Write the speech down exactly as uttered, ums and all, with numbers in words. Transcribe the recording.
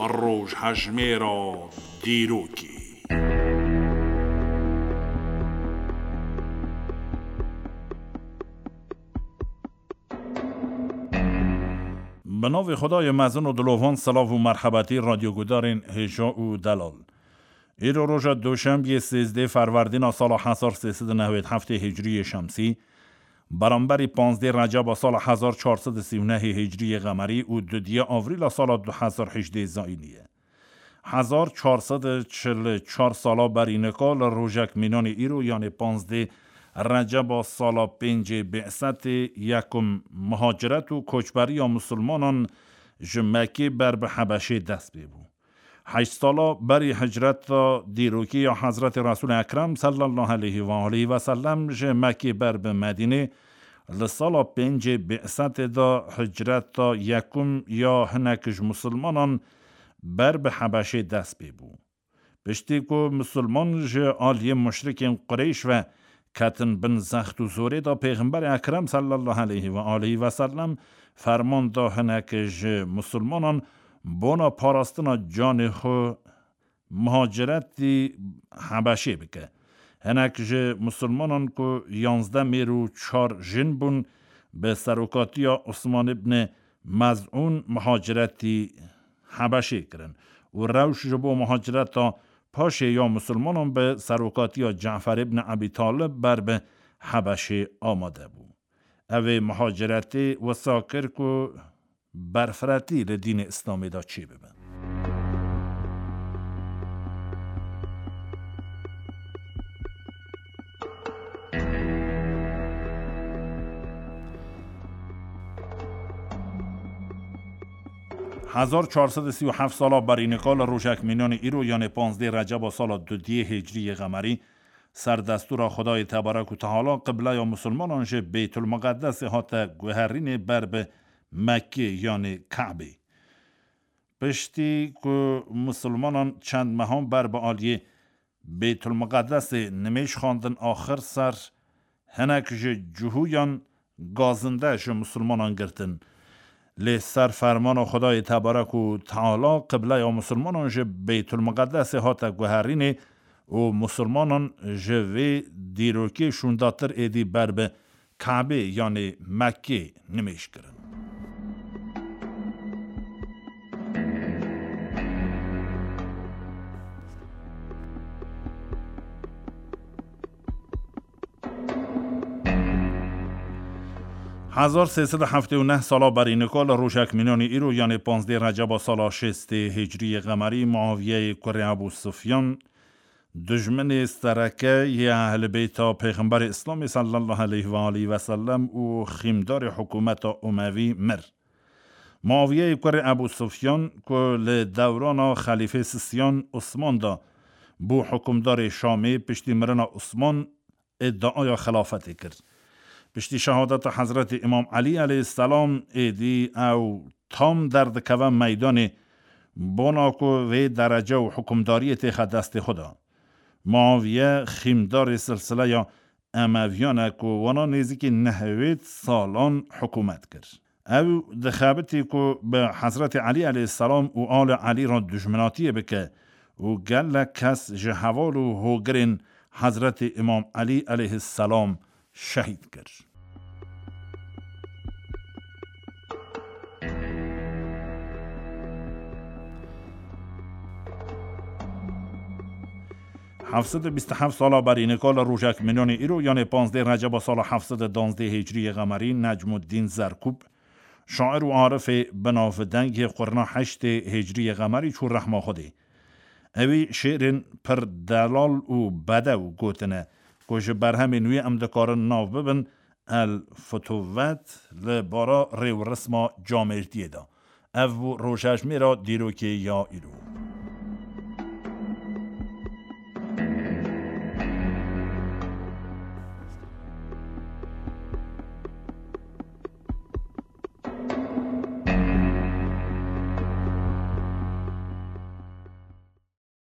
Rojhejmêra dîrokê. Bi navê Xwedayê mezin û dilovan, silav û merhebetî radyogudarên hêja û delal. Îro roja doşembiyê sêzdeh Ferwerdîna sala hezar sê sed û newêd heftê Hicriyê Şemsî, beramberî panzdeh Receba sala hezar çar sed û sî û nehê Hicriyê Qemerî û dudiya Avrîla sala du hezar hejdê Zayînî ye. Hezar çar sed û çil û çar sala berî nika li rojek mînanê îro, yanê panzdeh Receba sala pêncê Bê'setê yekum, muhaciret û koçberiya misilmanan ji Mekkê ber bi Hebeşê dest pê bû. Heşt sala berî hicreta dîrokî ya Hezretê Resûlê Ekrem sallallahu aleyhi ve aleyhi ve sellem ji Mekkê ber bi Medînê, li sala pêncê Bê'setê de hicreta yekum ya hinek ji misilmanan ber bi Hebeşê dest pê bû. Piştî ku misilman ji aliyê muşrikên Qureyş ve ketin bin zext û zorê de, Pêxemberê Ekrem sallallahu aleyhi ve aleyhi ve sellem ferman da hinek ji misilmanan bona parastina canê xwe muhaciretî Hebeşê bike. Hinek ji misilmanan ku yanzdeh mêr û çar jin bûn, bi serokatiya Osman ibn Mez'ûn muhaciretî Hebeşê kirin û rewş ji bo muhacireta paşê ya misilmanan bi serokatiya Cafer ibn Ebî Talib ber bi Hebeşê amade bû. Ev ê muhaciretê wisa kir ku berfiretî li dînê Îslamê de çêbibe. Hezar çar sed û sî û heft sala berî nika li rojek mînanê îro, yanê panzdeh Receba sala dudiyê Hicriyê Qemerî, ser destûra Xwedayê Tebarek û Teala qibleya misilmanan ji Beytulmiqedesê hate guherînê ber bi Mekkê, yanê Kabê. Piştî ku misilmanan çend mehan ber bi aliyê Beytulmiqedesê nimêj xwendin, axir ser hinek ji cihûyan gazinde ji misilmanan girtin. Lê ser fermana Xwedayê Tebarek û Teala qibleya misilmanan ji Beytulmiqedesê hate guherînê û misilmanan ji vê dîrokê şûndatir êdî ber bi Kabê, yanê Mekkê nimêj kirin. Hezar sê sed û heftê û neh sala berî nika li rojek mînanî îro, yanê panzdeh Receba sala şêstê Hicriyê Qemerî, Muaviyeyê kurê Ebû Sufyan, dijminê sereke yê Ehlî Beyta Pêxemberê Îslamê sallallahu aleyhi ve aleyhi ve sellem û xîmdarê hikûmeta Umevî mir. Muaviyeyê kurê Ebû Sufyan, ku li dewrana Xelîfê Sisiyan Osman de bû hikûmdarê Şamê, piştî mirina Osman îdiaya xilafetê kir. Piştî şehadeta Hezretî Îmam Elî aleyhisselam êdî ew tam derdikeve meydanê, bona ku vê derece û hikûmdariyê têxe destê xwe de. Muaviye xîmdarê silsileya Emeviyan e ku wana nêzîkî nehwêd salan hikûmet kir. Ew dixebitî ku bi Hezretî Elî aleyhisselam û alê Elî re dijminatiyê bike û gelek kes ji heval û hogirên Hezretî Îmam Elî aleyhisselam şehîd kir. Heft sed û bîst û heft sala berî nika li rojek mînanê îro, yanê panzdeh Receba sala heft sed û danzdeh Hicriyê Qemerî, Necmuddîn Zerkûb, şair û arifê binavdeng yê qurna heştê Hicriyê Qemerî çû rehma Xwedê. Ewî şêrên pir delal û bedew gotine ku ji berhemên wî em dikarin nav bibin El Futuvet li bara rêwresma camêrdiyê de. Ev bû rojhejmêra dîrokê ya îro.